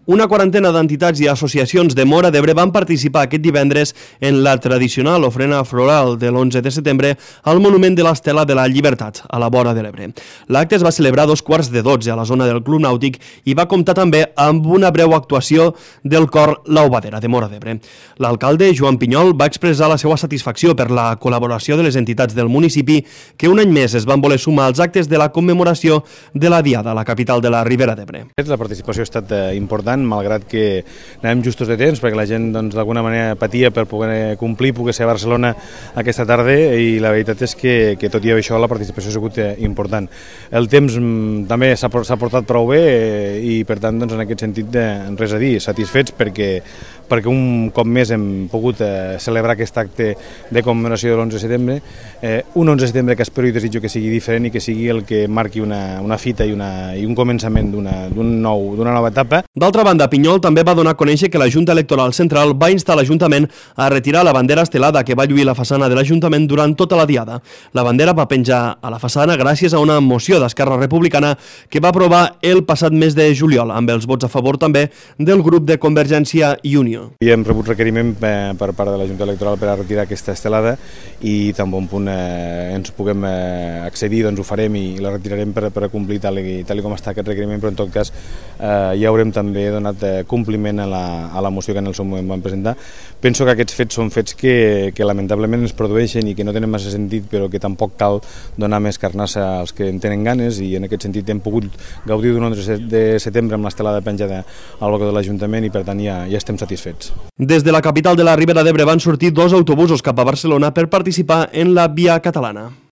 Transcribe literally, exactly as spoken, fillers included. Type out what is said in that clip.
Una quarantena d'entitats i associacions de Móra d'Ebre van participar aquest divendres en la tradicional ofrena floral de l'onze de setembre al Monument de l'Estela de la Llibertat, a la vora de l'Ebre. L'acte es va celebrar a dos quarts de dotze a la zona del Club Nàutic i va comptar també amb una breu actuació del cor La Ovadera de Móra d'Ebre. L'alcalde, Joan Pinyol, va expressar la seva satisfacció per la col·laboració de les entitats del municipi que un any més es van voler sumar als actes de la commemoració de la Diada a la capital de la Ribera d'Ebre. La participació ha estat important, malgrat que anàvem justos de temps, perquè la gent doncs, d'alguna manera patia per poder complir, poder ser a Barcelona aquesta tarda, i la veritat és que, que tot i això la participació ha sigut important. El temps també s'ha portat prou bé i per tant doncs, en aquest sentit res a dir, satisfets perquè, perquè un cop més hem pogut eh, celebrar aquest acte de commemoració de l'onze de setembre, eh, un onze de setembre que espero i desitjo que sigui diferent i que sigui el que marqui una, una fita i, una, i un començament d'una d'un nou, d'una nova etapa. D'altra banda, Pinyol també va donar a conèixer que la Junta Electoral Central va instar l'Ajuntament a retirar la bandera estelada que va lluir la façana de l'Ajuntament durant tota la diada. La bandera va penjar a la façana gràcies a una moció d'Esquerra Republicana que va aprovar el passat mes de juliol, amb els vots a favor també del grup de Convergència i Unió. I hem rebut requeriment per part de la Junta Electoral per a retirar aquesta estelada i tan bon punt eh, ens puguem eh, accedir, doncs ho farem i la retirarem per, per a complir tal i, tal i com està aquest requeriment, però en tot cas eh, ja haurem també donat eh, compliment a la, a la moció que en el seu moment vam presentar. Penso que aquests fets són fets que, que lamentablement es produeixen i que no tenen massa sentit, però que tampoc cal donar més carnassa als que en tenen ganes, i en aquest sentit hem pogut gaudir d'un onze de setembre amb l'estelada penjada al balcó de l'Ajuntament i per tant ja, ja estem satisfets. Des de la capital de la Ribera d'Ebre van sortir dos autobusos cap a Barcelona per participar en la Via Catalana.